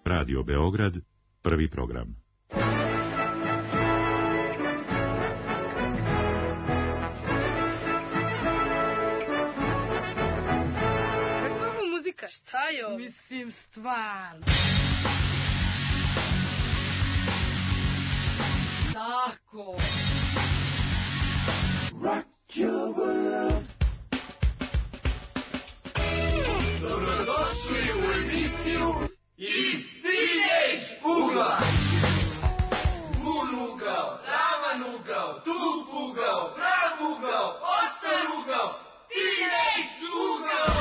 Radio Beograd, prvi program. Kakva je ovo muzika? Šta je ovo? Mislim, stvarno. Tako. Rock your world. Dobrodošli u emisiju Iz Teenage ugla. Vun ugao, ravan ugao, tup ugao, prav ugao, ostar ugao, Teenage ugao.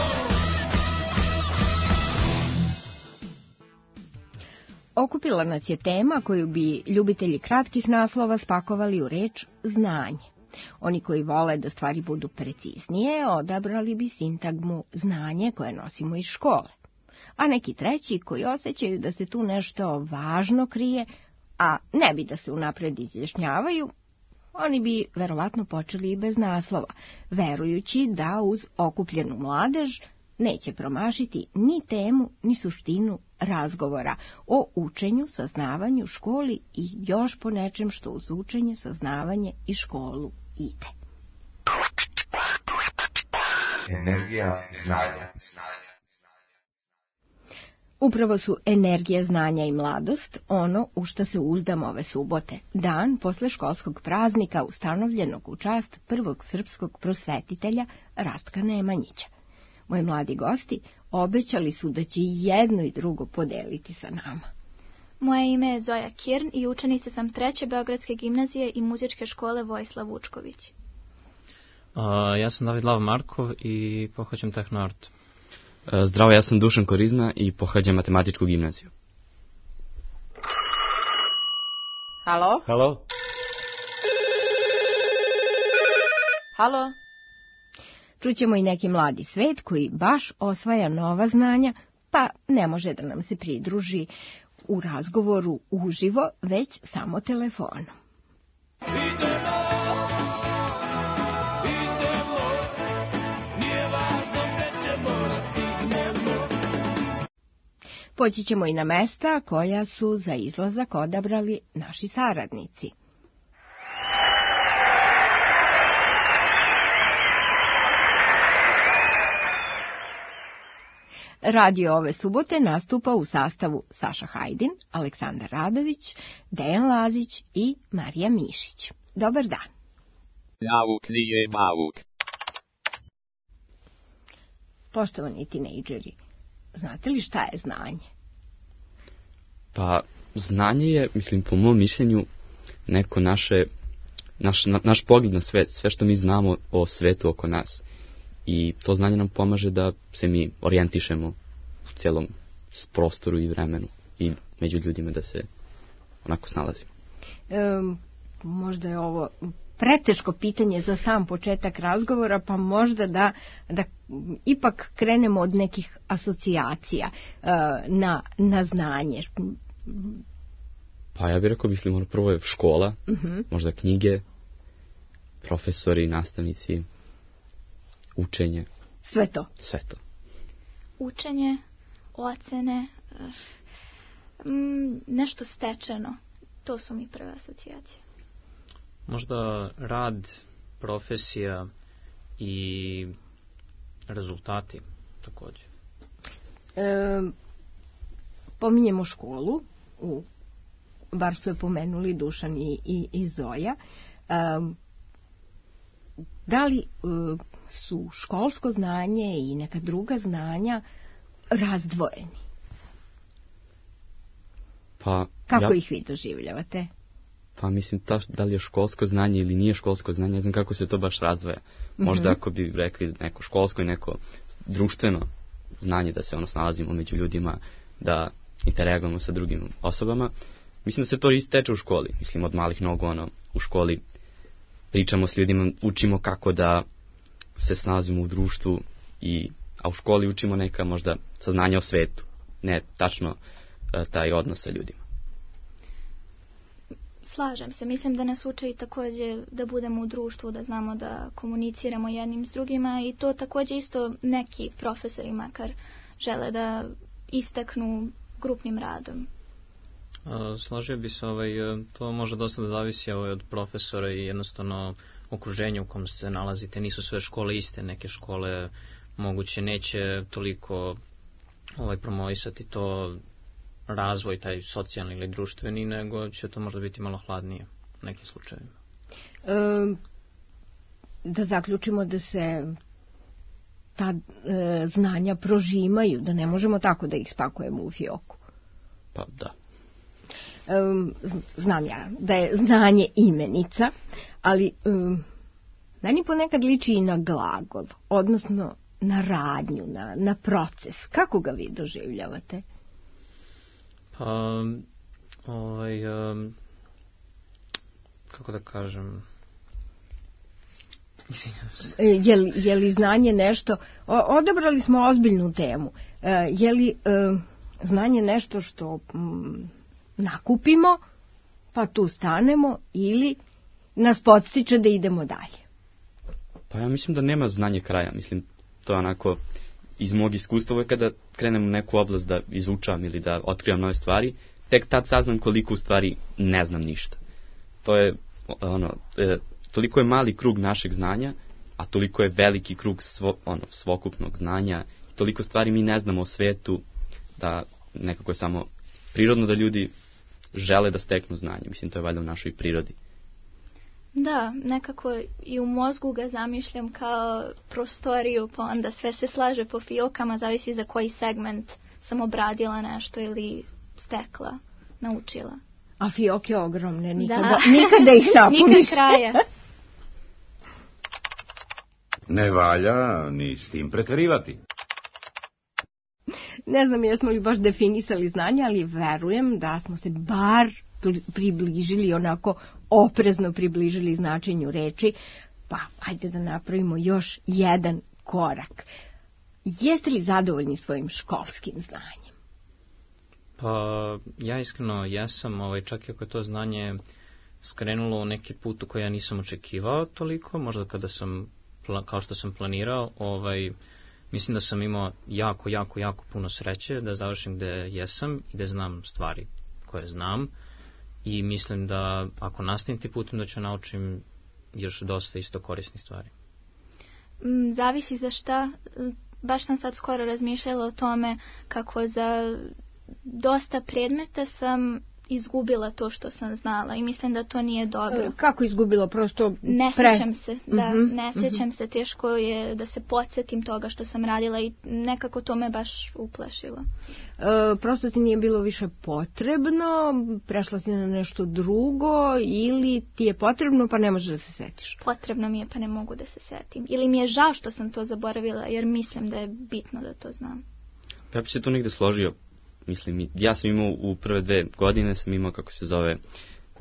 Okupila nas je tema koju bi ljubitelji kratkih naslova spakovali u reč znanje. Oni koji vole da stvari budu preciznije, odabrali bi sintagmu znanje koje nosimo iz škole. A neki treći koji osjećaju da se tu nešto važno krije, a ne bi da se unapred izjašnjavaju, oni bi verovatno počeli i bez naslova, verujući da uz okupljenu mladež neće promašiti ni temu, ni suštinu razgovora o učenju, saznavanju, školi i još po nečem što uz učenje, saznavanje i školu ide. Energija znanja. Upravo su energija, znanja i mladost ono u što se uzdam ove subote, dan posle školskog praznika ustanovljenog u čast prvog srpskog prosvetitelja Rastka Nemanjića. Moji mladi gosti obećali su da će jedno i drugo podeliti sa nama. Moje ime je Zoja Kirn i učenica sam 3. Beogradske gimnazije i muzičke škole Vojislav Vučković. Ja sam David Lav Markov i pohađam tehnoart. Zdravo, ja sam Dušan Korizma i pohađam matematičku gimnaziju. Halo? Halo? Halo? Čućemo i neki mladi svet koji baš osvaja nova znanja, pa ne može da nam se pridruži u razgovoru uživo, već samo telefonom. Poći ćemo i na mesta koja su za izlazak odabrali naši saradnici. Radio ove subote nastupa u sastavu Saša Hajdin, Aleksandar Radović, Dejan Lazić i Marija Mišić. Dobar dan. Nauk nije bauk. Poštovani tinejdžeri, znate li šta je znanje? Pa, znanje je, mislim, po mom mišljenju, neko naš pogled na svet, sve što mi znamo o svetu oko nas. I to znanje nam pomaže da se mi orijentišemo u cijelom prostoru i vremenu i među ljudima da se onako snalazimo. Možda je ovo preteško pitanje za sam početak razgovora, pa možda da ipak krenemo od nekih asocijacija na znanje. Pa ja bih rekao, mislim, prvo je škola, možda knjige, profesori, nastavnici, učenje. Sve to. Sve to. Učenje, ocene, nešto stečeno. To su mi prve asocijacije. Možda rad, profesija i rezultati također. Pominjemo školu, bar su je pomenuli Dušan i Zoja. Da li su školsko znanje i neka druga znanja razdvojeni? Pa, kako ih vi doživljavate? Pa mislim, da li je školsko znanje ili nije školsko znanje, ne znam kako se to baš razdvaja. Možda ako bi rekli neko školsko i neko društveno znanje, da se snalazimo među ljudima, da interagujemo sa drugim osobama. Mislim da se to isteče u školi. Mislim, od malih nogu, u školi pričamo s ljudima, učimo kako da se snalazimo u društvu, a u školi učimo neka možda saznanja o svetu, ne tačno taj odnos sa ljudima. Slažem se, mislim da nas uče i također da budemo u društvu, da znamo da komuniciramo jednim s drugima i to također isto neki profesori makar žele da istaknu grupnim radom. Složio bi se, to može dosta da zavisi od profesora i jednostavno okruženja u kom se nalazite. Nisu sve škole iste, neke škole moguće neće toliko promovisati to razvoj, taj socijalni ili društveni, nego će to možda biti malo hladnije u nekim slučajevima. Da zaključimo da se ta znanja prožimaju, da ne možemo tako da ih spakujemo u fioku. Pa da. Znam ja da je znanje imenica, ali meni ponekad liči i na glagol, odnosno na radnju, na proces. Kako ga vi doživljavate? Pa, kako da kažem... Je li znanje nešto... Odabrali smo ozbiljnu temu. Je li znanje nešto što nakupimo, pa tu stanemo, ili nas podstiče da idemo dalje? Pa ja mislim da nema znanje kraja. Mislim, to je onako iz mog iskustva, kada krenem u neku oblast da izučavam ili da otkrivam nove stvari, tek tad saznam koliko u stvari ne znam ništa. To je toliko je mali krug našeg znanja, a toliko je veliki krug svokupnog znanja, toliko stvari mi ne znamo o svetu, da nekako je samo prirodno da ljudi žele da steknu znanje. Mislim, to je valjda u našoj prirodi. Da, nekako i u mozgu ga zamišljam kao prostoriju, pa onda sve se slaže po fiokama, zavisi za koji segment sam obradila nešto ili stekla, naučila. A fioke ogromne, nikada ih napuniš. Nikad kraja. Ne valja ni s tim preterivati. Ne znam jesmo li baš definisali znanje, ali verujem da smo se bar približili, onako oprezno približili značenju reči, pa ajde da napravimo još jedan korak. Jeste li zadovoljni svojim školskim znanjem? Pa ja iskreno jesam, čak i ako je to znanje skrenulo u neki put u koji ja nisam očekivao toliko, možda kada sam, kao što sam planirao, mislim da sam imao jako puno sreće da završim gde jesam i da znam stvari koje znam, i mislim da ako nastavim ti putem da ću naučim još dosta isto korisnih stvari. Zavisi za šta. Baš sam sad skoro razmišljala o tome kako za dosta predmeta sam izgubila to što sam znala i mislim da to nije dobro. Kako izgubila? Prosto ne sjećam se, da, ne sjećam se, teško je da se podsjetim toga što sam radila i nekako to me baš uplašilo. Prosto ti nije bilo više potrebno, prešla si na nešto drugo, ili ti je potrebno pa ne možeš da se setiš? Potrebno mi je pa ne mogu da se setim. Ili mi je žao što sam to zaboravila jer mislim da je bitno da to znam. Ja bi se tu negde složio. Mislim, ja sam imao u prve 2 godine, sam imao, kako se zove,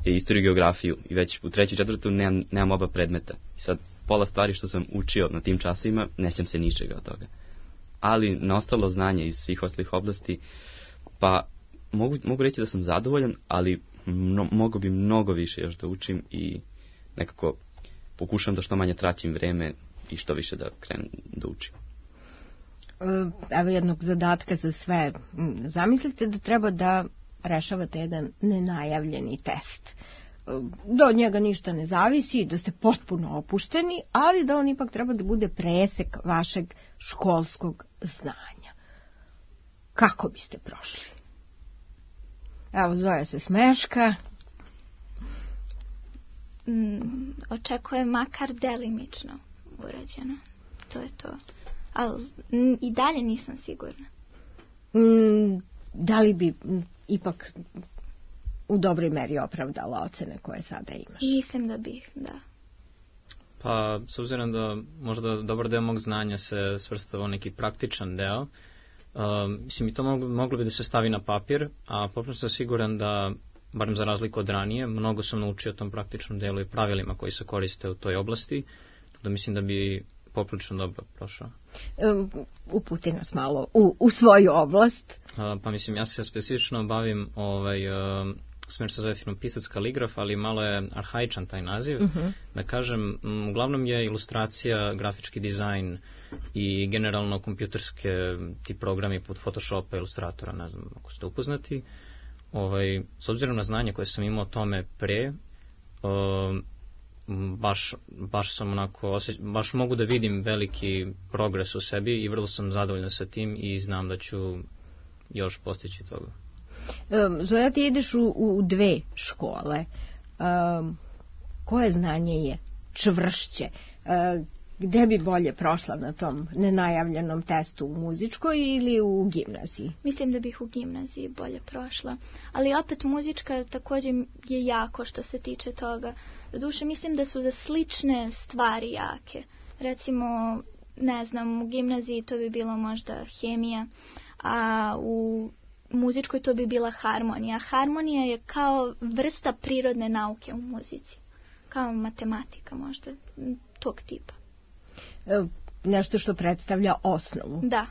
istoriju i geografiju, i već u 3. i 4. nemam oba predmeta. I sad, pola stvari što sam učio na tim časovima, ne sjećam se ničega od toga. Ali na ostalo znanje iz svih ostalih oblasti, pa mogu reći da sam zadovoljan, ali mogu bi mnogo više još da učim i nekako pokušam da što manje traćim vreme i što više da krenem da učim. Evo jednog zadatka za sve. Zamislite da treba da rešavate jedan nenajavljeni test. Da od njega ništa ne zavisi, da ste potpuno opušteni, ali da on ipak treba da bude presek vašeg školskog znanja. Kako biste prošli? Evo, Zoja se smeška. Očekujem makar delimično urađeno. To je to. Ali i dalje nisam sigurna. Da li bi ipak u dobroj meri opravdala ocene koje sada imaš? Mislim da bih, da. Pa, s obzirom da možda dobar deo mog znanja se svrstava u neki praktičan deo, mislim i to moglo bi da se stavi na papir, a potpuno sam siguran da, barem za razliku od ranije, mnogo sam naučio o tom praktičnom delu i pravilima koji se koriste u toj oblasti, da mislim da bi poprilično dobro prošao. Uputi nas malo u svoju oblast. Pa mislim, ja se specifično bavim smer se zove Finopisac kaligraf, ali malo je arhaičan taj naziv. Da kažem, uglavnom je ilustracija, grafički dizajn i generalno kompjuterske ti programi pod Photoshopa, Illustratora, ne znam ako ste upoznati. S obzirom na znanje koje sam imao o tome pre, baš sam onako, baš mogu da vidim veliki progres u sebi i vrlo sam zadovoljan sa tim i znam da ću još postići toga. Zoja, ti ideš u 2 škole. Koje znanje je čvršće? Gde bi bolje prošla na tom nenajavljenom testu, u muzičkoj ili u gimnaziji? Mislim da bih u gimnaziji bolje prošla. Ali opet muzička također je jako što se tiče toga. Doduše, mislim da su za slične stvari jake. Recimo, ne znam, u gimnaziji to bi bilo možda hemija, a u muzičkoj to bi bila harmonija. Harmonija je kao vrsta prirodne nauke u muzici. Kao matematika možda, tog tipa. Nešto što predstavlja osnovu. Da.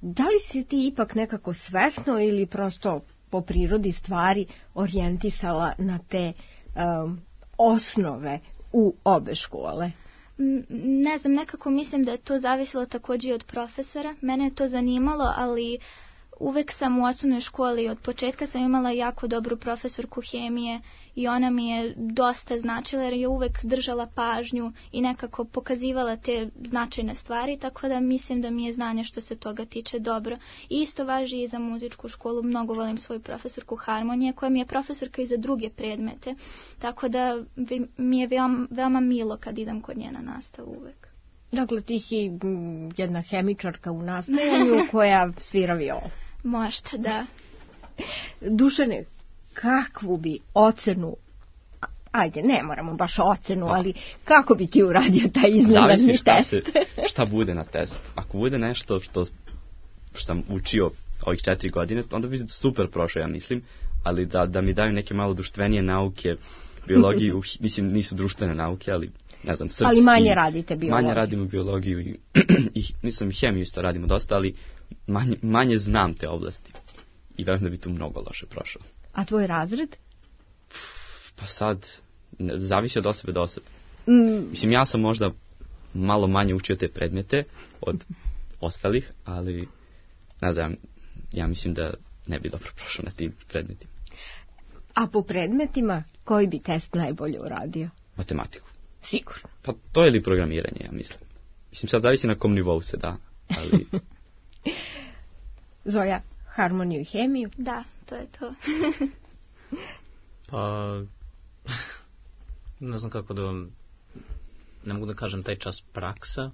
Da li si ti ipak nekako svesno ili prosto po prirodi stvari orijentisala na te osnove u obe škole? Ne znam, nekako mislim da je to zavisilo također od profesora. Mene je to zanimalo, ali uvek sam u osnovnoj školi, od početka sam imala jako dobru profesorku hemije i ona mi je dosta značila jer je uvek držala pažnju i nekako pokazivala te značajne stvari, tako da mislim da mi je znanje što se toga tiče dobro. I isto važi i za muzičku školu, mnogo volim svoju profesorku harmonije koja mi je profesorka i za druge predmete, tako da mi je veoma milo kad idem kod nje na nastavu uvek. Dakle, ti si jedna hemičarka u nastajanju koja svira violu. Možda, da. Dušane, kakvu bi ocenu, ajde, ne moramo baš ocenu, ali kako bi ti uradio taj iznenadni test? Šta bude na testu. Ako bude nešto što sam učio ovih 4 godine, onda bi super prošao, ja mislim, ali da mi daju neke malo društvenije nauke, biologiju, mislim, nisu društvene nauke, ali ne znam, srpski. Ali manje radite biologiju. Manje radimo biologiju i mislim, hemiju isto radimo dosta, ali manje znam te oblasti. I verujem da bi tu mnogo loše prošao. A tvoj razred? Pa sad, zavisi od osobe do osobe. Mislim, ja sam možda malo manje učio te predmete od ostalih, ali ne znam, ja mislim da ne bi dobro prošao na tim predmetima. A po predmetima, koji bi test najbolje uradio? Matematiku. Sigurno. Pa to je li programiranje, ja mislim. Mislim, sad zavisi na kom nivou se da, ali... Zoja, harmoniju i hemiju? Da, to je to. Pa, ne znam kako da vam, ne mogu da kažem taj čas praksa,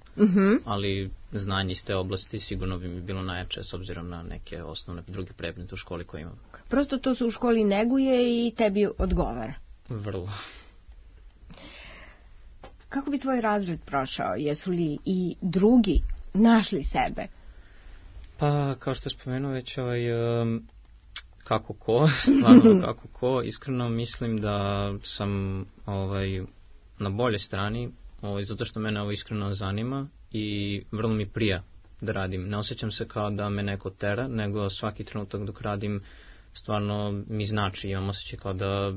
ali znanje iz te oblasti sigurno bi mi bilo najjače s obzirom na neke osnovne druge predmete u školi koje imam. Prosto to se u školi neguje i tebi odgovara. Vrlo. Kako bi tvoj razred prošao? Jesu li i drugi našli sebe? Pa, kao što je spomenuo već kako ko, stvarno kako ko, iskreno mislim da sam na bolje strani, zato što mene ovo iskreno zanima i vrlo mi prija da radim. Ne osjećam se kao da me neko tera, nego svaki trenutak dok radim stvarno mi znači, imam osjećaj kao da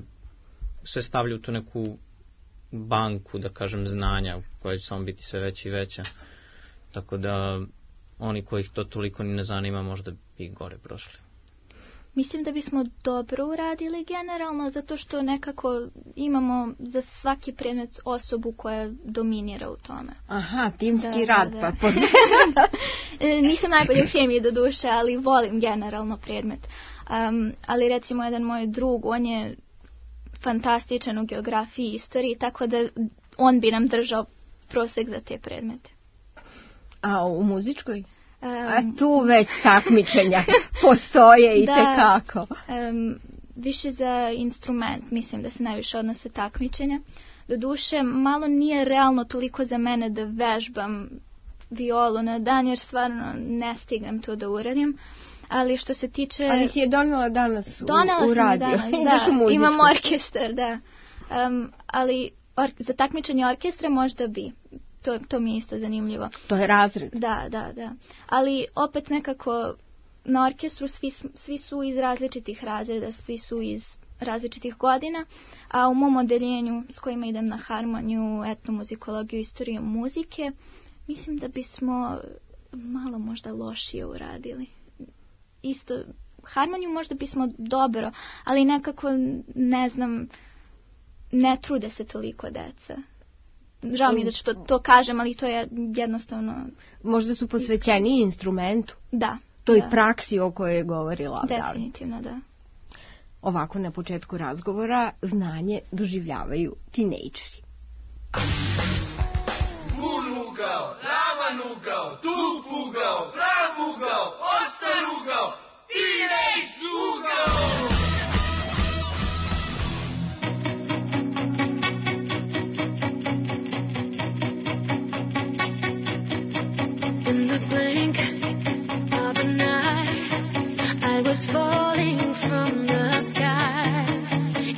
se stavlja u tu neku banku, da kažem, znanja koja će samo biti sve veća i veća. Tako da oni kojih to toliko ni ne zanima možda bi gore prošli. Mislim da bismo dobro uradili generalno, zato što nekako imamo za svaki predmet osobu koja dominira u tome. Aha, timski rad. Da. Pa nisam najbolje u hemiji do duše, ali volim generalno predmet. Ali recimo jedan moj drug, on je fantastičan u geografiji i istoriji, tako da on bi nam držao prosek za te predmete. A u muzičkoj? A tu već takmičenja postoje i tekako. Više za instrument, mislim da se najviše odnose takmičenja. Doduše, malo nije realno toliko za mene da vežbam violu na dan, jer stvarno ne stignem to da uradim. Ali što se tiče... Ali si je donela danas u radio. Da, imam orkestar, da. Ali za takmičenje orkestra možda bi. To mi je isto zanimljivo. To je razred. Da. Ali opet nekako na orkestru svi su iz različitih razreda, svi su iz različitih godina, a u mom odeljenju s kojima idem na harmoniju, etnomuzikologiju, istoriju muzike, mislim da bismo malo možda lošije uradili. Isto, harmoniju možda bismo dobro, ali nekako, ne znam, ne trude se toliko deca. Žao mi je da što to kažem, ali to je jednostavno... Možda su posvećeni instrumentu. Da. Toj praksi o kojoj je govorila. Definitivno, da. Ovako na početku razgovora znanje doživljavaju tinejdžeri. Unugao, ravanugao, tupugao, pravugao, ostarugao, tinejdžugao! In the blink of an eye, I was falling from the sky.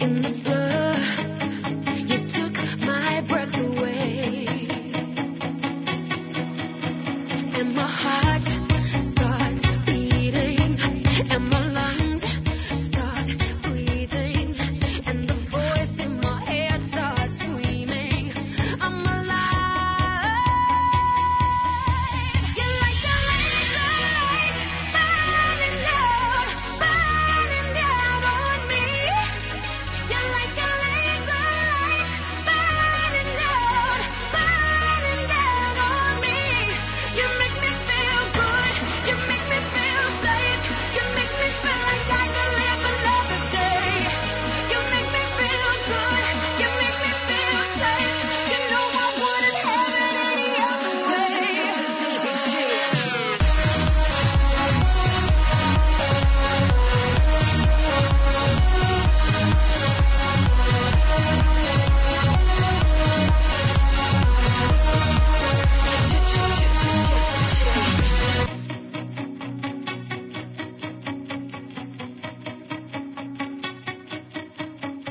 In the blur, you took my breath away, and my heart starts beating, and my lungs start breathing, and the voice in my head starts screaming, I'm alive. You're like a laser light burning down on me. You're like a laser light burning down on me. You make me feel good. You make me feel safe. You make me feel like I can live another day. You make me feel good. You make me feel safe. You know I wouldn't have it any other way.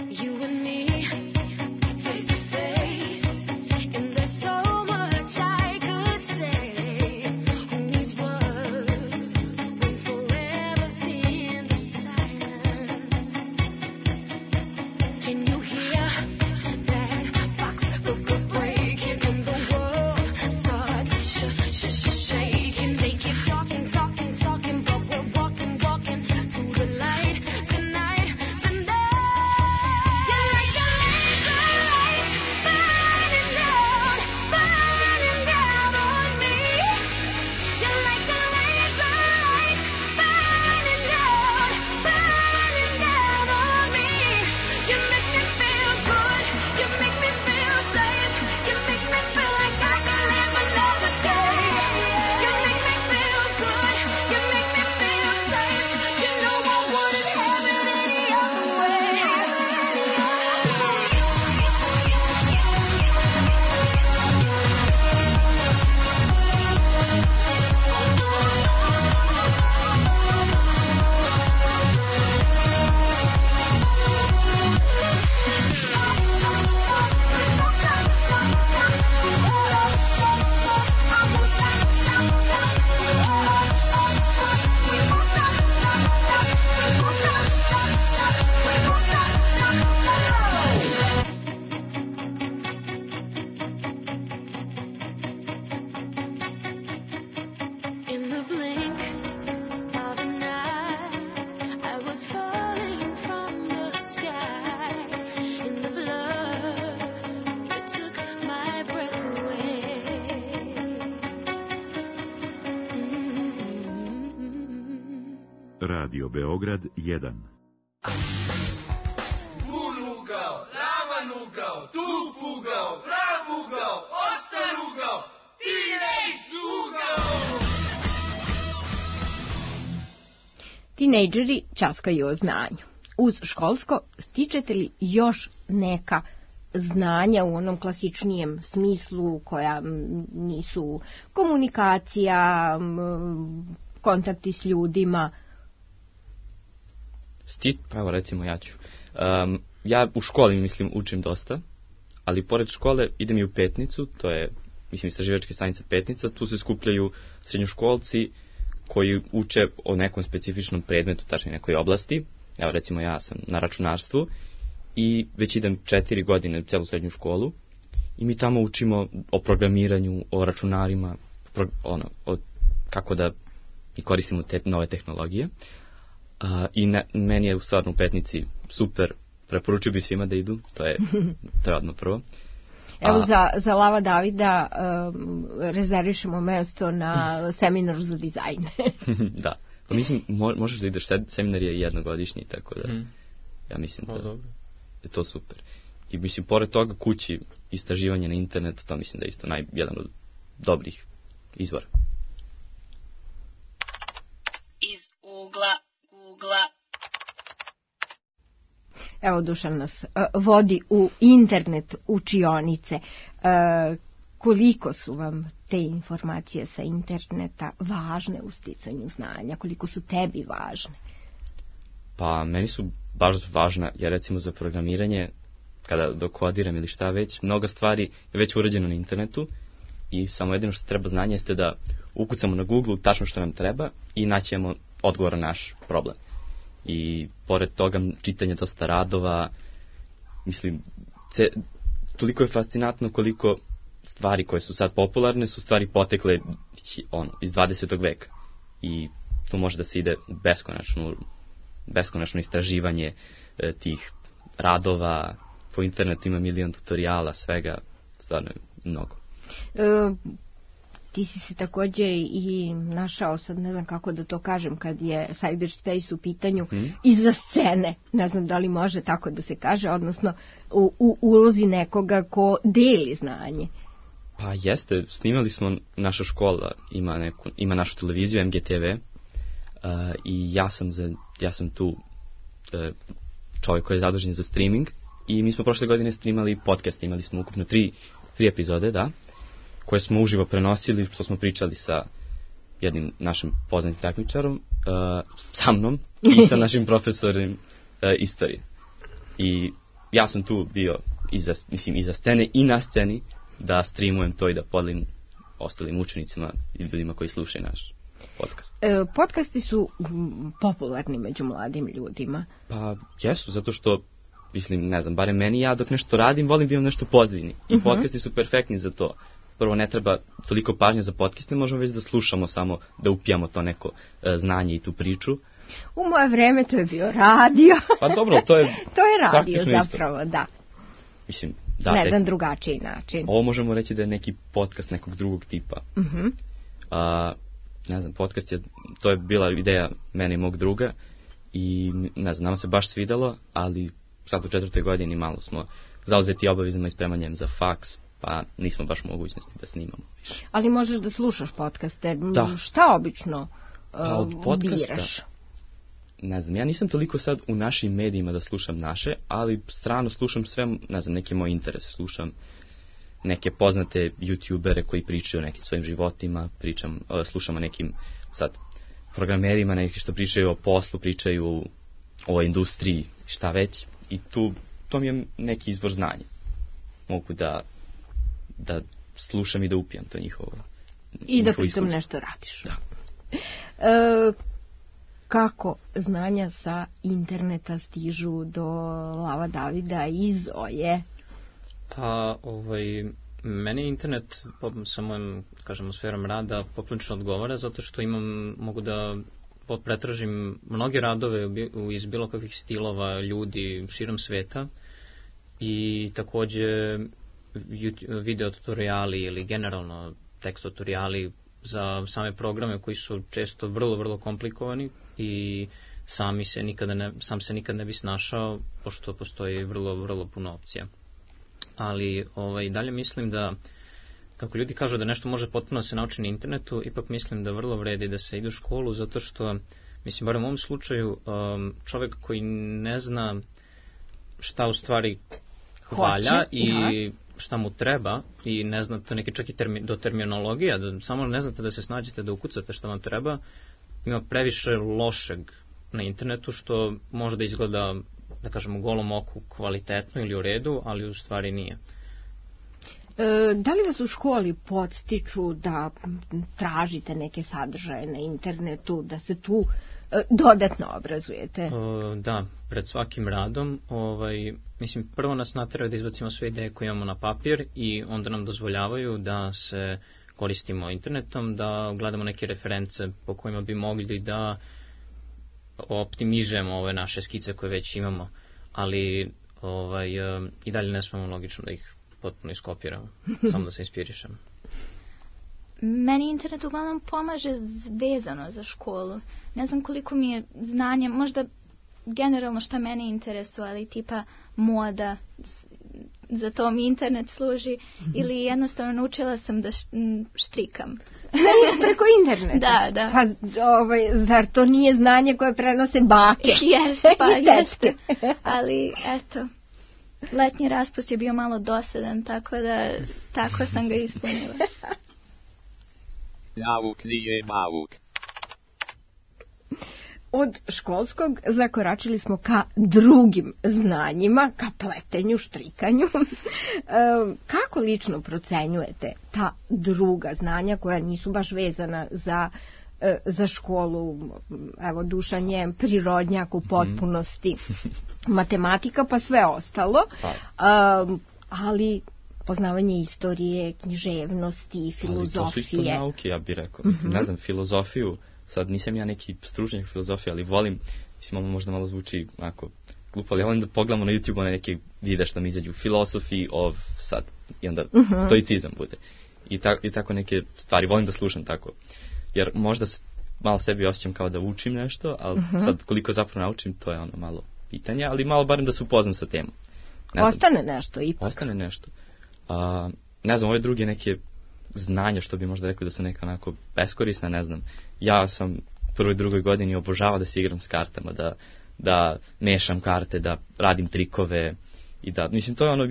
You and me, face to face, and there's so much I could say. Who needs words when forever's in the silence? Can you hear that box breaking and the world starts shaking? They keep talking, but we're walking to the light tonight. You're like a laser light burning down on me. You're like a laser light burning down on me. You make me feel good. You make me feel safe. You make me feel like I can live another day. You make me feel good. You make me feel safe. You know I wouldn't have it any other way. In the blink of an eye, I was falling from the sky. In the blur, you took my breath away. Radio Beograd 1. Unugao, ravanugao, tupugao, pravugao, ostarugao, tinejdžugao! Tinejdžeri ćaskaju o znanju. Uz školsko stičete li još neka znanja u onom klasičnijem smislu koja nisu komunikacija, kontakti s ljudima? Pa evo recimo ja ću. Ja u školi učim dosta, ali pored škole idem i u Petnicu, to je istraživačka stanica Petnica, tu se skupljaju srednjoškolci koji uče o nekom specifičnom predmetu, tačnije nekoj oblasti. Evo recimo ja sam na računarstvu i već idem 4 godine u celu srednju školu i mi tamo učimo o programiranju, o računarima, kako da i koristimo te nove tehnologije. I meni je u stvarno u Petnici super, preporučio bi svima da idu, to je odmah prvo. Evo za Lava Davida rezervišemo mesto na seminaru za dizajn. Da, pa mislim možeš da ideš, seminar je jednogodišnji, tako da ja mislim da je to super. I mislim, pored toga kući istraživanje na internetu, to mislim da je isto jedan od dobrih izvora. Iz ugla Googla. Evo Dušan nas vodi u internet učionice. Koliko su vam te informacije sa interneta važne u sticanju znanja? Koliko su tebi važne? Pa meni su baš važna, jer recimo za programiranje, kada dokodiram ili šta već, mnogo stvari je već urađeno na internetu i samo jedino što treba znanje jeste da ukucamo na Google tačno što nam treba i naćemo odgovor na naš problem. I pored toga čitanje dosta radova, mislim, toliko je fascinantno koliko stvari koje su sad popularne su stvari potekle iz 20. veka. I tu može da se ide u beskonačno istraživanje tih radova, po internetu ima milion tutoriala, svega, stvarno je mnogo. Ti si se takođe i našao, sad ne znam kako da to kažem, kad je cyberspace u pitanju, iza scene, ne znam da li može tako da se kaže, odnosno u ulozi nekoga ko deli znanje. Pa jeste, snimali smo, naša škola ima našu televiziju, MGTV, i ja sam tu čovjek koji je zadužen za streaming i mi smo prošle godine streamali podcast, imali smo ukupno 3 epizode, da, koje smo uživo prenosili, što smo pričali sa jednim našim poznatim takmičarom, sa mnom i sa našim profesorom istorije. I ja sam tu bio iza scene i na sceni da streamujem to i da podelim ostalim učenicima i ljudima koji slušaju naš podcast. Podcasti su popularni među mladim ljudima. Pa jesu, zato što mislim, ne znam, barem meni, ja dok nešto radim volim da imam nešto pozitivni i podcasti su perfektni za to. Prvo, ne treba toliko pažnje za podcaste, možemo već da slušamo, samo da upijamo to neko znanje i tu priču. U moje vreme to je bio radio. Pa dobro, to je radio zapravo, isto. Da. Mislim, na jedan drugačiji način. Ovo možemo reći da je neki podcast nekog drugog tipa. Ne znam, podcast to je bila ideja mene i mog druga i ne znam, nama se baš svidalo, ali sad u 4. godini malo smo zauzeti obavezama i spremanjem za faks, pa nismo baš mogućnosti da snimamo više. Ali možeš da slušaš podcaste. Da. Šta obično biraš? Ne znam, ja nisam toliko sad u našim medijima da slušam naše, ali strano slušam sve, ne znam, neki moj interes. Slušam neke poznate youtubere koji pričaju o nekim svojim životima, slušam o nekim sad programerima, neki što pričaju o poslu, pričaju o industriji, šta već. I to mi je neki izvor znanja. Mogu da slušam i da upijam to njihovo. I da pritom nešto radiš. Da. Kako znanja sa interneta stižu do Lava Davida i Zoje? Pa, meni internet sa mojom, kažemo, sferom rada poprilično odgovara, zato što mogu da pretražim mnoge radove iz bilo kakvih stilova ljudi širom sveta i takođe video tutoriali ili generalno tekst tutoriali za same programe koji su često vrlo, vrlo komplikovani i sam se nikad ne bi snašao, pošto postoji vrlo, vrlo puno opcija. Ali dalje mislim da, kako ljudi kažu da nešto može potpuno se nauči na internetu, ipak mislim da vrlo vredi da se ide u školu, zato što, mislim, bar u mom slučaju, čovjek koji ne zna šta u stvari valja i šta mu treba i ne znate neki čak i do terminologija, samo ne znate da se snađete, da ukucate šta vam treba, ima previše lošeg na internetu što može da izgleda, da kažemo, golom oku kvalitetno ili u redu, ali u stvari nije. Da li vas u školi podstiču da tražite neke sadržaje na internetu, da se tu dodatno obrazujete? Da, pred svakim radom, mislim, prvo nas nateraju da izbacimo sve ideje koje imamo na papir i onda nam dozvoljavaju da se koristimo internetom, da gledamo neke reference po kojima bi mogli da optimizujemo ove naše skice koje već imamo, ali i dalje ne smemo logično da ih potpuno iskopiramo, samo da se inspirišemo. Meni internet uglavnom pomaže vezano za školu. Ne znam koliko mi je znanje, možda generalno šta mene interesuje, ali tipa moda, za to mi internet služi, ili jednostavno naučila sam da štrikam. Preko interneta? Da. Pa, zar to nije znanje koje prenose bake? Jeste. Ali, eto, letnji raspust je bio malo dosadan, tako sam ga ispunila. Nauk nije nauk. Od školskog zakoračili smo ka drugim znanjima, ka pletenju, štrikanju. Kako lično procenjujete ta druga znanja koja nisu baš vezana za školu? Evo, Dušan je prirodnjak u potpunosti, matematika pa sve ostalo, ali poznavanje istorije, književnosti, filozofije. Ali to su isto nauke, ja bih rekao. Mislim, ne znam, filozofiju, sad nisam ja neki stručnjak filozofije, ali volim, mislim, ovo možda malo zvuči onako glupo, ali ja volim da pogledamo na YouTube one neke videa što mi izađu, philosophy of sad, i onda stoicizam bude. I tako neke stvari, volim da slušam tako. Jer možda malo sebi osjećam kao da učim nešto, ali sad koliko zapravo naučim, to je ono malo pitanje, ali malo barem da se upoznam sa temom. Ostane nešto ipak. Ostane nešto. Ne znam, ove druge neke znanja što bi možda rekli da su neka onako beskorisna, ne znam. Ja sam u prvoj, drugoj godini obožavao da se igram s kartama, da mešam karte, da radim trikove i da, mislim, to je ono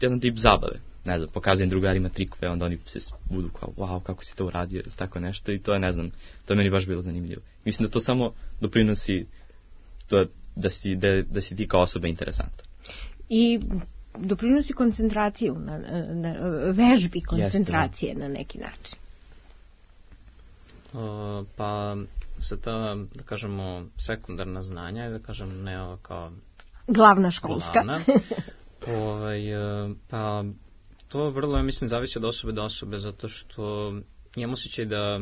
jedan tip zabave. Ne znam, pokazujem drugarima trikove, onda oni se budu kao, wow, kako si to uradio, tako nešto, i to je, ne znam, to je meni baš bilo zanimljivo. Mislim da to samo doprinosi to da si ti kao osoba interesantan. I doprinosi koncentraciju, na vežbi koncentracije na neki način. Pa sa ta, da kažemo, sekundarna znanja, da kažem, ne ova kao glavna školska. Pa to vrlo, ja mislim, zavisi od osobe do osobe, zato što imam osjećaj da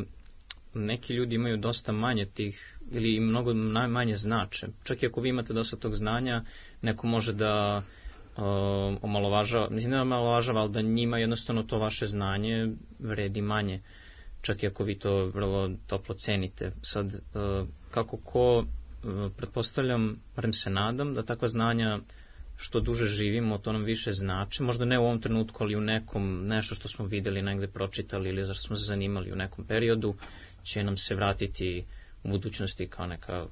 neki ljudi imaju dosta manje tih, ili mnogo manje znače. Čak i ako vi imate dosta tog znanja, neko može da omalovažava, mislim ne omalovažava, ali da njima jednostavno to vaše znanje vredi manje, čak i ako vi to vrlo toplo cenite. Sad, kako ko, pretpostavljam, barem se nadam, da takva znanja što duže živimo, to nam više znači, možda ne u ovom trenutku, ali u nekom, nešto što smo vidjeli, negde pročitali ili zašto smo se zanimali u nekom periodu, će nam se vratiti u budućnosti kao neka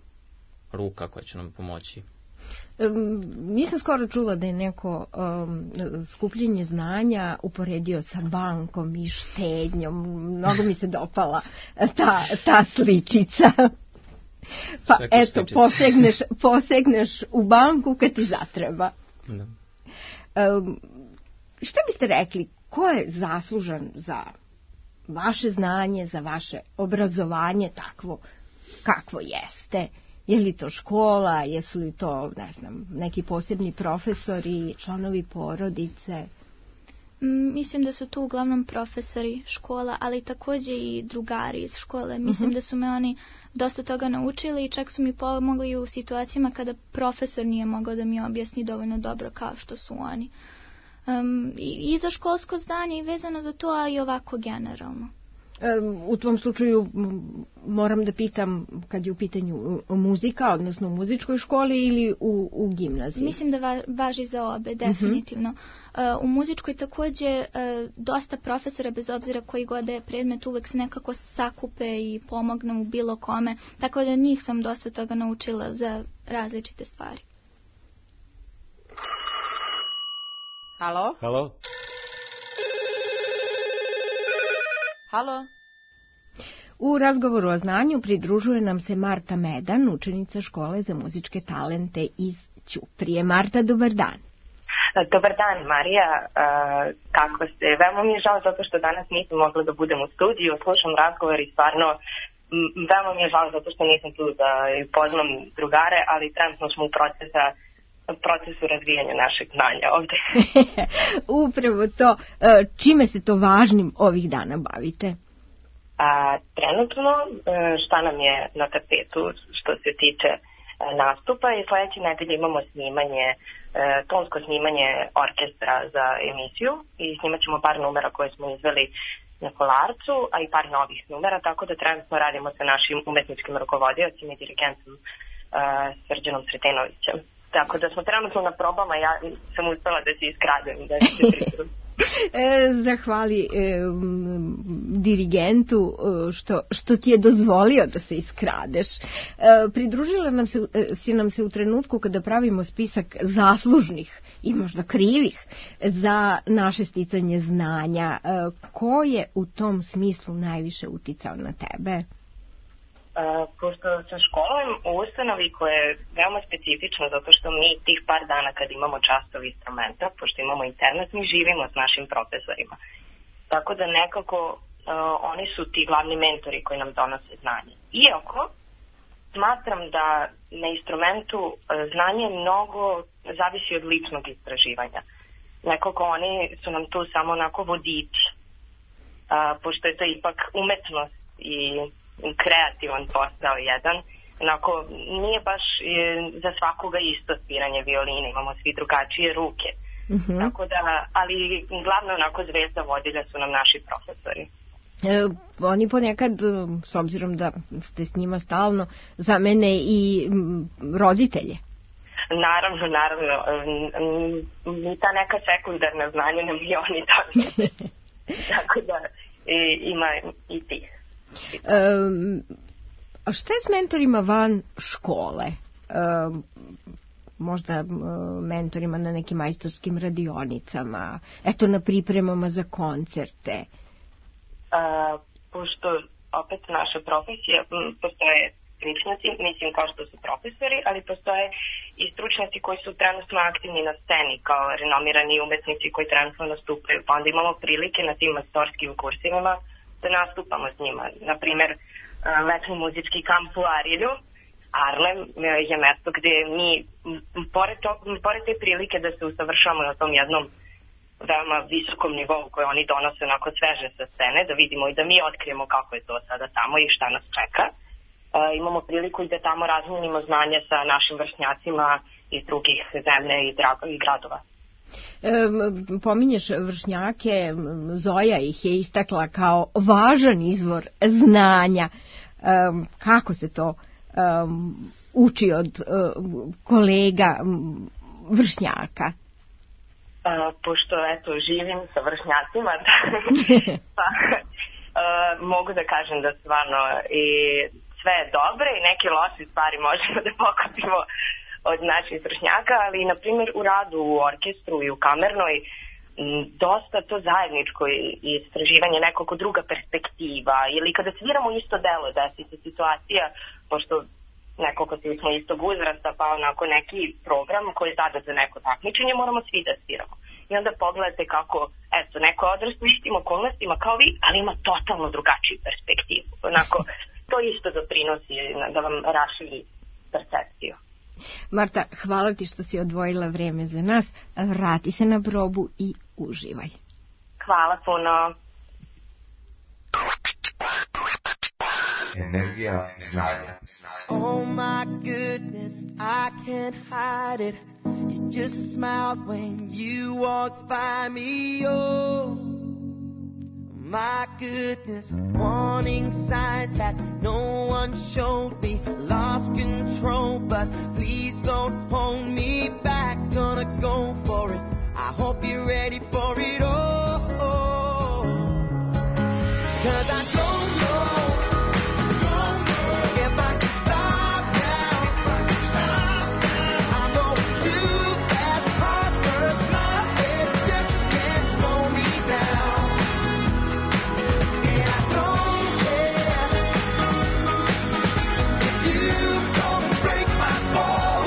ruka koja će nam pomoći. Nisam skoro čula da je neko skupljenje znanja uporedio sa bankom i štednjom. Mnogo mi se dopala ta sličica. Pa eto, posegneš u banku kad ti zatreba. Da. Šta biste rekli, ko je zaslužan za vaše znanje, za vaše obrazovanje takvo kakvo jeste? Je li to škola, jesu li to, ne znam, neki posebni profesori, članovi porodice? Mislim da su tu uglavnom profesori škola, ali također i drugari iz škole. Mislim da su me oni dosta toga naučili i čak su mi pomogli u situacijama kada profesor nije mogao da mi objasni dovoljno dobro kao što su oni. I za školsko znanje i vezano za to, ali i ovako generalno. U tom slučaju moram da pitam kad je u pitanju muzika, odnosno u muzičkoj školi ili u gimnaziji? Mislim da važi za obe, definitivno. U muzičkoj također dosta profesora, bez obzira koji god je predmet, uvek se nekako sakupe i pomognu u bilo kome, tako da njih sam dosta toga naučila za različite stvari. Halo? Halo? Halo? U razgovoru o znanju pridružuje nam se Marta Medan, učenica škole za muzičke talente iz Ćuprije. Marta, dobar dan. Dobar dan, Marija. Kako ste? Veoma mi je žao zato što danas nisam mogla da budem u studiju, slušam razgovor i stvarno veoma mi je žao zato što nisam tu da poznam drugare, ali trenutno smo u procesu razvijanja našeg znanja ovde. Upravo to. Čime se to važnim ovih dana bavite? Trenutno šta nam je na tapetu što se tiče nastupa i sledeće nedelje imamo snimanje, tonsko snimanje orkestra za emisiju i snimat ćemo par numera koje smo izveli na Kolarcu, a i par novih numera, tako da trenutno radimo sa našim umetničkim rukovodiocima i dirigentom Srđanom Sretenovićem. Tako da smo trenutno na probama, ja sam uspela da se iskradem, da se pripremim. Zahvali dirigentu što ti je dozvolio da se iskradeš. Pridružila nam se u trenutku kada pravimo spisak zaslužnih i možda krivih za naše sticanje znanja. Ko je u tom smislu najviše uticao na tebe? Pošto sam školujem u ustanovi koja je veoma specifična zato što mi tih par dana kad imamo častov instrumenta, pošto imamo internat, mi živimo s našim profesorima. Tako da nekako oni su ti glavni mentori koji nam donose znanje. Iako smatram da na instrumentu znanje mnogo zavisi od ličnog istraživanja. Nekako oni su nam tu samo onako vodiči, pošto je to ipak umetnost i kreativan posao jedan, onako nije baš za svakoga isto sviranje violine, imamo svi drugačije ruke. Tako da, ali glavno onako zvezda vodilja su nam naši profesori. Oni ponekad, s obzirom da ste s njima stalno, zamene i roditelje. Naravno, ta neka sekundarna znanja nam i oni dali. Tako da ima i tih. A šta je s mentorima van škole? Možda mentorima na nekim majstorskim radionicama, eto na pripremama za koncerte? Pošto opet naša profesija, postoje stručnjaci, mislim kao što su profesori, ali postoje i stručnjaci koji su trenutno aktivni na sceni kao renomirani umetnici koji trenutno nastupaju, pa onda imamo prilike na tim majstorskim kursivima da nastupamo s njima. Naprimer, letni muzički kamp u Arilju, Arlem je mesto gde mi, pored te prilike da se usavršavamo na tom jednom veoma visokom nivou koje oni donose onako sveže sa scene, da vidimo i da mi otkrijemo kako je to sada tamo i šta nas čeka. Imamo priliku i da tamo razmenimo znanje sa našim vršnjacima iz drugih zemlje i gradova. Pominješ vršnjake, Zoja ih je istakla kao važan izvor znanja. Kako se to uči od kolega vršnjaka? Pošto živim sa vršnjacima, pa mogu da kažem da stvarno i sve je dobre i neke loše stvari možemo da pokupimo od naših vršnjaka, ali na primjer u radu u orkestru i u kamernoj dosta to zajedničko istraživanje, nekako druga perspektiva, ili kada sviramo isto delo, desi se situacija, pošto nekako svi smo istog uzrasta, pa onako neki program koji je zadat za neko takmičenje moramo svi da sviramo. I onda pogledate kako, neko odrastu u istim okolnostima kao vi, ali ima totalno drugačiju perspektivu. Onako, to isto doprinosi da vam raširi percepciju. Marta, hvala ti što si odvojila vreme za nas. Vrati se na probu i uživaj. Hvala puno. Energija znanja. Oh my goodness, I can't hide it. You just smiled when you walked by me. Oh my goodness, warning signs that no one showed me. Lost control, but please don't hold me back. Gonna go for it. I hope you're ready for it. Oh, 'cause I don't know if I can stop now. I know you as hard as love, it just can't slow me down. And I don't care if you don't break my fall.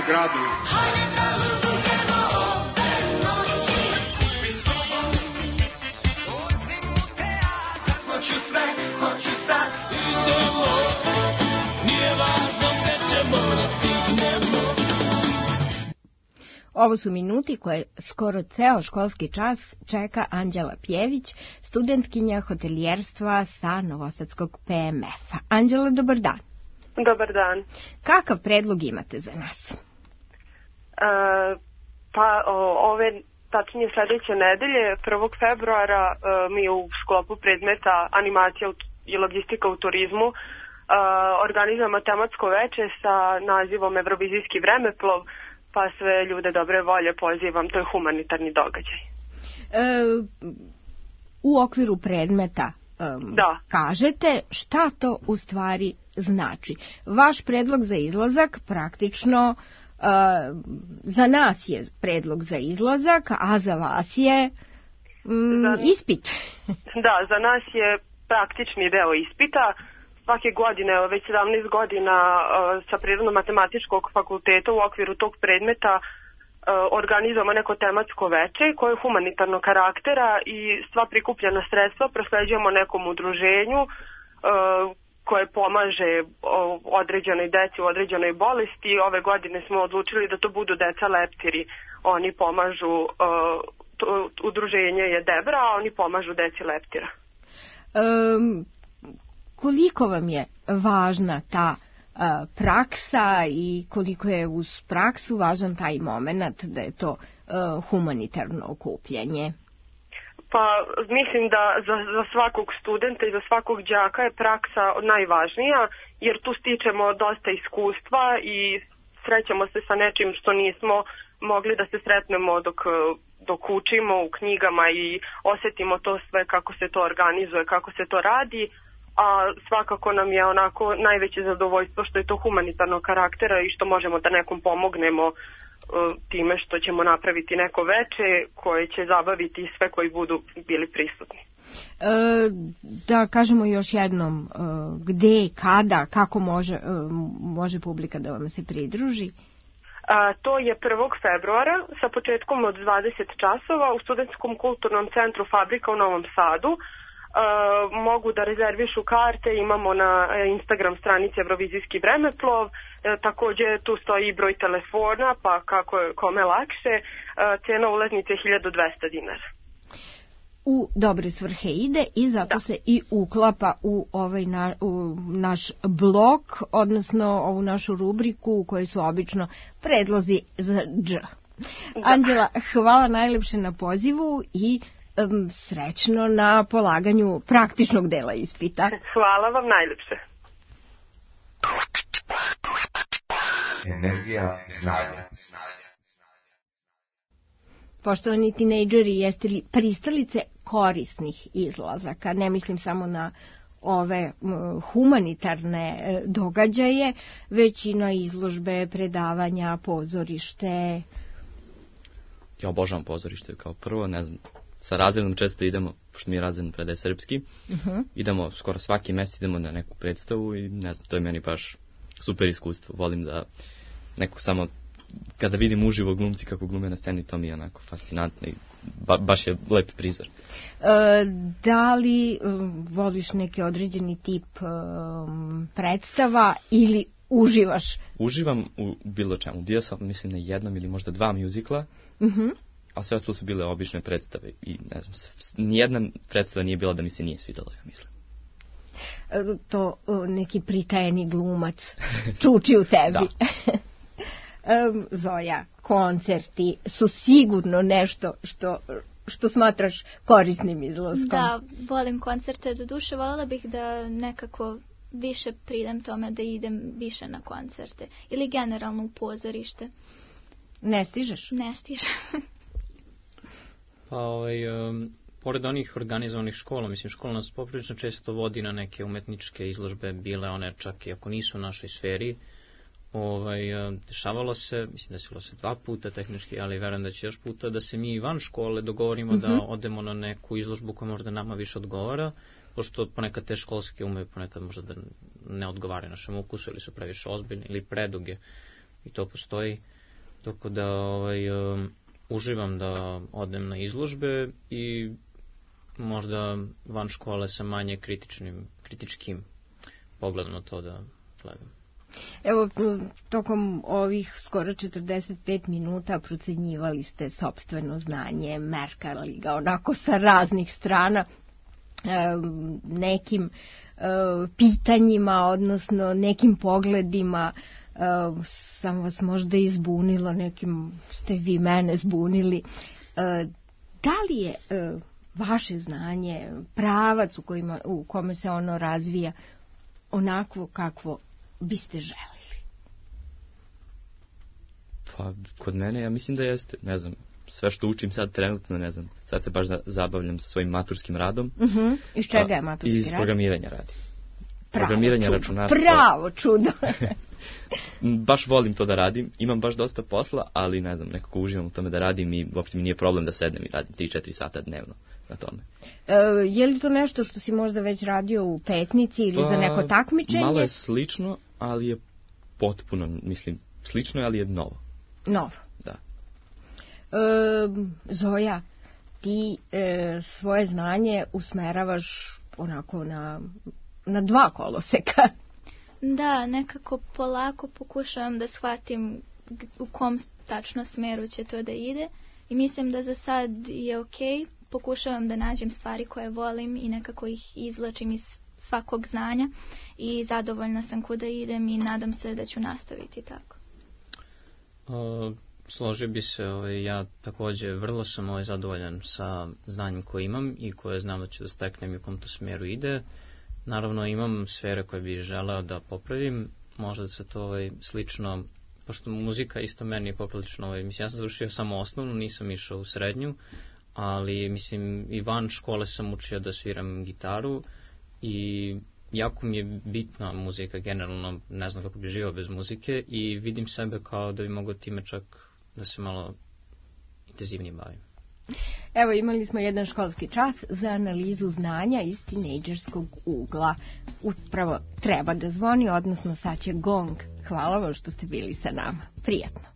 gradu. Ovo su minuti koje skoro ceo školski čas čeka Anđela Pjević, studentkinja hotelijerstva sa Novosadskog PMF-a. Anđela, dobar dan. Dobar dan. Kakav predlog imate za nas? Tačnije sledeće nedelje, 1. februara, mi u sklopu predmeta animacija i logistika u turizmu organizujemo tematsko veče sa nazivom Evrovizijski vremeplov, pa sve ljude dobre volje pozivam, to je humanitarni događaj. U okviru predmeta kažete šta to u stvari znači. Vaš predlog za izlazak praktično za nas je predlog za izlazak, a za vas je ispit. Da, za nas je praktični deo ispita. Svake godine, već 17 godina sa Prirodno-matematičkog fakulteta u okviru tog predmeta organizujemo neko tematsko veče koje je humanitarnog karaktera i sva prikupljena sredstva prosleđujemo nekom udruženju koje pomaže određenoj deci u određenoj bolesti. Ove godine smo odlučili da to budu deca leptiri. Oni pomažu, udruženje je Debra, a oni pomažu deci leptira. Koliko vam je važna ta praksa i koliko je uz praksu važan taj moment da je to humanitarno okupljanje? Pa mislim da za svakog studenta i za svakog đaka je praksa najvažnija, jer tu stičemo dosta iskustva i srećemo se sa nečim što nismo mogli da se sretnemo dok učimo u knjigama i osetimo to sve kako se to organizuje, kako se to radi. A svakako nam je onako najveće zadovoljstvo što je to humanitarnog karaktera i što možemo da nekom pomognemo time što ćemo napraviti neko veče koje će zabaviti sve koji budu bili prisutni. Da kažemo još jednom gde, kada, kako može publika da vam se pridruži? To je 1. februara sa početkom od 20 časova u Studentskom kulturnom centru Fabrika u Novom Sadu. Mogu da rezervišu karte, imamo na Instagram stranici Evrovizijski vremeplov, takođe tu stoji i broj telefona, pa kako je kome lakše, cena ulaznice je 1200 dinara. U dobre svrhe ide i zato se i uklapa u ovaj naš blog, odnosno ovu našu rubriku u kojoj su obično predlozi za dž. Anđela, hvala najlepše na pozivu i srećno na polaganju praktičnog dela ispita. Hvala vam najlepše. Energija znanja. Poštovani tinejdžeri, jeste li pristalice korisnih izlazaka? Ne mislim samo na ove humanitarne događaje, već i na izložbe, predavanja, pozorište. Ja obožavam pozorište kao prvo, ne znam, sa razredom često idemo, pošto mi je razredno predaje srpski, idemo skoro svaki mesec idemo na neku predstavu i ne znam, to je meni baš super iskustvo. Volim da neko samo, kada vidim uživo glumci kako glume na sceni, to mi je onako fascinantno i baš je lep prizor. Da li voliš neki određeni tip predstava ili uživaš? Uživam u bilo čemu. Bio sam, mislim, na jednom ili možda 2 mjuzikla, a sve ostalo su bile obične predstave i ne znam, nijedna predstava nije bila da mi se nije svidjela, ja mislim. To neki pritajeni glumac čuči u tebi. Zoja, koncerti su sigurno nešto što smatraš korisnim izlaskom. Da, volim koncerte, do duše voljela bih da nekako više pridem tome da idem više na koncerte ili generalno u pozorište. Ne stižeš? Ne stižem. Pa pored onih organizovanih škola, mislim, škola nas poprilično često vodi na neke umetničke izložbe, bile one čak i ako nisu u našoj sferi. Dešavalo se, mislim, desilo se 2 puta tehnički, ali verujem da će još puta da se mi van škole dogovorimo da odemo na neku izložbu koja možda nama više odgovara, pošto ponekad te školske umeju ponekad možda da ne odgovara našem ukusu ili su previše ozbiljne ili preduge. i to postoji, tako da uživam da odem na izložbe i možda van škole sa manje kritičkim pogledom na to da gledam. Evo, tokom ovih skoro 45 minuta procenjivali ste sopstveno znanje, merkali ga onako sa raznih strana, nekim pitanjima, odnosno nekim pogledima sam vas možda izbunila, nekim ste vi mene zbunili. Da li je vaše znanje, pravac u kome se ono razvija, onako kakvo biste želili? Pa, kod mene, ja mislim da jeste, ne znam, sve što učim sad trenutno, ne znam, sad se baš zabavljam sa svojim maturskim radom. Iz čega je maturski rad? Iz programiranja radim. Programiranje računarstva. Pravo čudo. Baš volim to da radim, imam baš dosta posla, ali ne znam, nekako uživam u tome da radim i uopšte mi nije problem da sednem i radim 3-4 sata dnevno na tome. Je li to nešto što si možda već radio u Petnici ili za neko takmičenje? Malo je slično, ali je potpuno, mislim, slično je, ali je novo. Novo? Da. Zoja, ti svoje znanje usmeravaš onako na dva koloseka. Da, nekako polako pokušavam da shvatim u kom tačno smeru će to da ide i mislim da za sad je okej. Pokušavam da nađem stvari koje volim i nekako ih izvlačim iz svakog znanja i zadovoljna sam kuda idem i nadam se da ću nastaviti tako. Složio bi se, ja također vrlo sam zadovoljan sa znanjem koje imam i koje znam da ću da steknem i u kom to smjeru ide. Naravno imam sfere koje bih želeo da popravim, možda se to slično, pošto muzika isto meni je poprilično, mislim ja sam završio samo osnovnu, nisam išao u srednju, ali mislim i van škole sam učio da sviram gitaru i jako mi je bitna muzika generalno, ne znam kako bi živio bez muzike i vidim sebe kao da bi mogao time čak da se malo intenzivnije bavim. Evo, imali smo jedan školski čas za analizu znanja iz tinejdžerskog ugla. Upravo treba da zvoni, odnosno sad će gong. Hvala vam što ste bili sa nama. Prijatno.